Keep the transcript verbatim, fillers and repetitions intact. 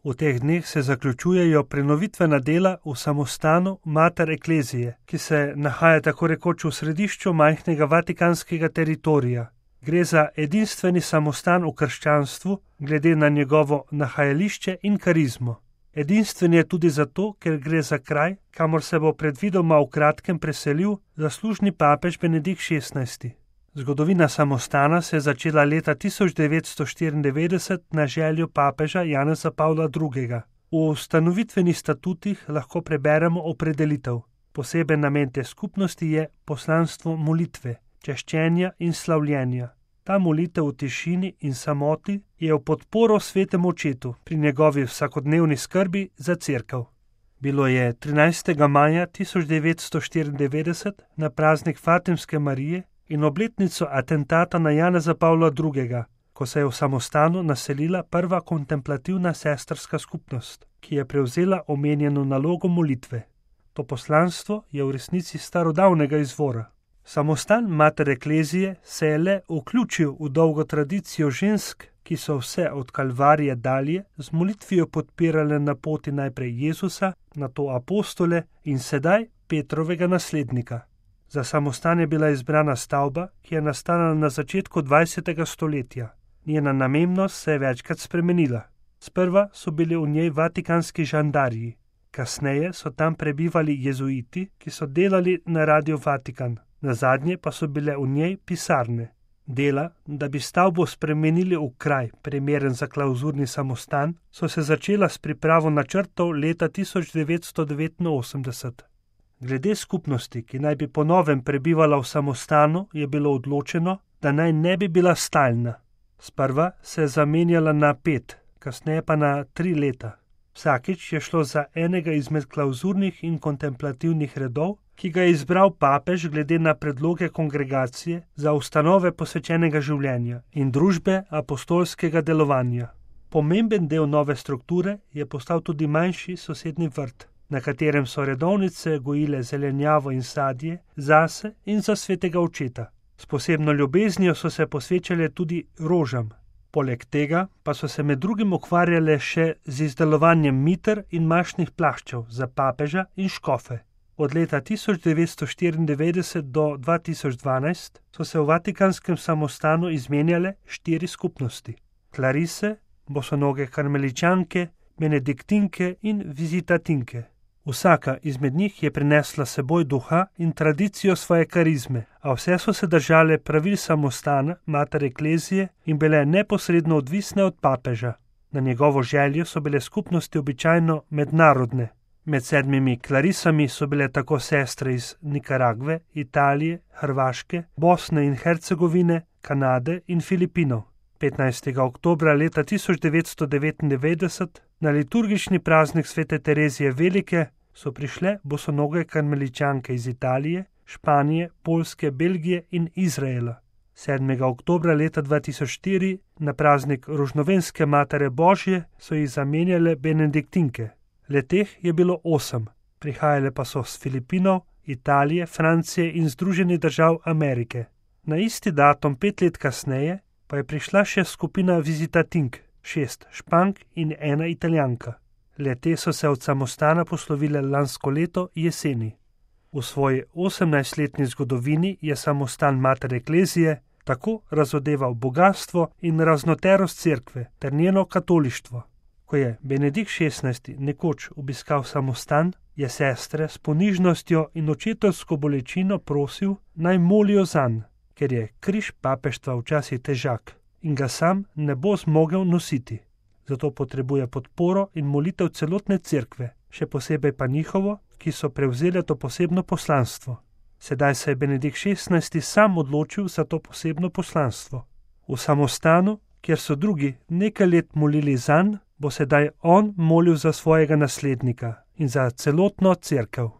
V teh dneh se zaključujejo prenovitvena dela v samostanu Mater Ecclesiae, ki se nahaja tako rekoč v središču majhnega vatikanskega teritorija. Gre za edinstveni samostan v krščanstvu, glede na njegovo nahajališče in karizmo. Edinstven je tudi zato, ker gre za kraj, kamor se bo predvidoma v kratkem preselil zaslužni papež Benedikt šestnajsti. Zgodovina samostana se je začela leta tisoč devetsto štiriindevetdeset na željo papeža Janeza Pavla drugega. V ustanovitvenih statutih lahko preberemo opredelitev. Poseben namen te skupnosti je poslanstvo molitve, češčenja in slavljenja. Ta molitev v tišini in samoti je v podporo svetemu očetu pri njegovi vsakodnevni skrbi za cerkev. Bilo je trinajstega maja tisoč devetsto štiriindevetdeset na praznik Fatimske Marije in obletnico atentata na Janeza Pavla drugega, ko se je v samostanu naselila prva kontemplativna sestrska skupnost, ki je prevzela omenjeno nalogo molitve. To poslanstvo je v resnici starodavnega izvora. Samostan Mater Ecclesiae se je le vključil v dolgo tradicijo žensk, ki so vse od Kalvarije dalje z molitvijo podpirale na poti najprej Jezusa, nato apostole in sedaj Petrovega naslednika. Za samostan je bila izbrana stavba, ki je nastala na začetku dvajsetega stoletja. Njena namembnost se je večkrat spremenila. Sprva so bili v njej vatikanski žandarji, kasneje so tam prebivali jezuiti, ki so delali na Radio Vatikan. Nazadnje pa so bile v njej pisarne. Dela, da bi stavbo spremenili v kraj, primeren za klauzurni samostan, so se začela s pripravo načrtov leta tisoč devetsto devetinosemdeset. Glede skupnosti, ki naj bi po novem prebivala v samostanu, je bilo odločeno, da naj ne bi bila stalna. Sprva se je zamenjala na pet, kasneje pa na tri leta. Vsakič je šlo za enega izmed klauzurnih in kontemplativnih redov, ki ga je izbral papež glede na predloge kongregacije za ustanove posvečenega življenja in družbe apostolskega delovanja. Pomemben del nove strukture je postal tudi manjši sosednji vrt, na katerem so redovnice gojile zelenjavo in sadje zase in za svetega očeta. S posebno ljubeznijo so se posvečale tudi rožam. Poleg tega pa so se med drugim ukvarjale še z izdelovanjem miter in mašnih plaščev za papeža in škofe. Od leta tisoč devetsto štiriindevetdeset do dva tisoč dvanajst so se v vatikanskem samostanu izmenjale štiri skupnosti. Klarise, bosonoge karmeličanke, benediktinke in vizitatinke. Vsaka izmed njih je prinesla seboj duha in tradicijo svoje karizme, a vse so se držale pravil samostana Mater Ecclesiae in bile neposredno odvisne od papeža. Na njegovo željo so bile skupnosti običajno mednarodne. Med sedmimi klarisami so bile tako sestre iz Nikaragve, Italije, Hrvaške, Bosne in Hercegovine, Kanade in Filipinov. petnajstega oktobra leta tisoč devetsto devetindevetdeset na liturgični praznik svete Terezije Velike so prišle bosonoge karmeličanke iz Italije, Španije, Poljske, Belgije in Izraela. sedmega oktobra leta dva tisoč štiri na praznik Rožnovenske Matere Božje so jih zamenjale benediktinke. Leteh je bilo osem, prihajale pa so s Filipinov, Italije, Francije in Združenih držav Amerike. Na isti datum pet let kasneje pa je prišla še skupina vizitatink, šest Špank in ena Italijanka. Le-te so se od samostana poslovile lansko leto jeseni. V svoji osemnajstletni zgodovini je samostan Mater Ecclesiae tako razodeval bogastvo in raznoterost cerkve ter njeno katolištvo. Ko je Benedikt šestnajsti nekoč obiskal samostan, je sestre s ponižnostjo in očetovsko bolečino prosil, naj molijo zanj, ker je križ papeštva včasih težak in ga sam ne bo zmogel nositi. Zato potrebuje podporo in molitev celotne cerkve, še posebej pa njihovo, ki so prevzeli to posebno poslanstvo. Sedaj se je Benedikt šestnajsti sam odločil za to posebno poslanstvo. V samostanu, kjer so drugi nekaj let molili zanj, bo sedaj on molil za svojega naslednika in za celotno cerkev.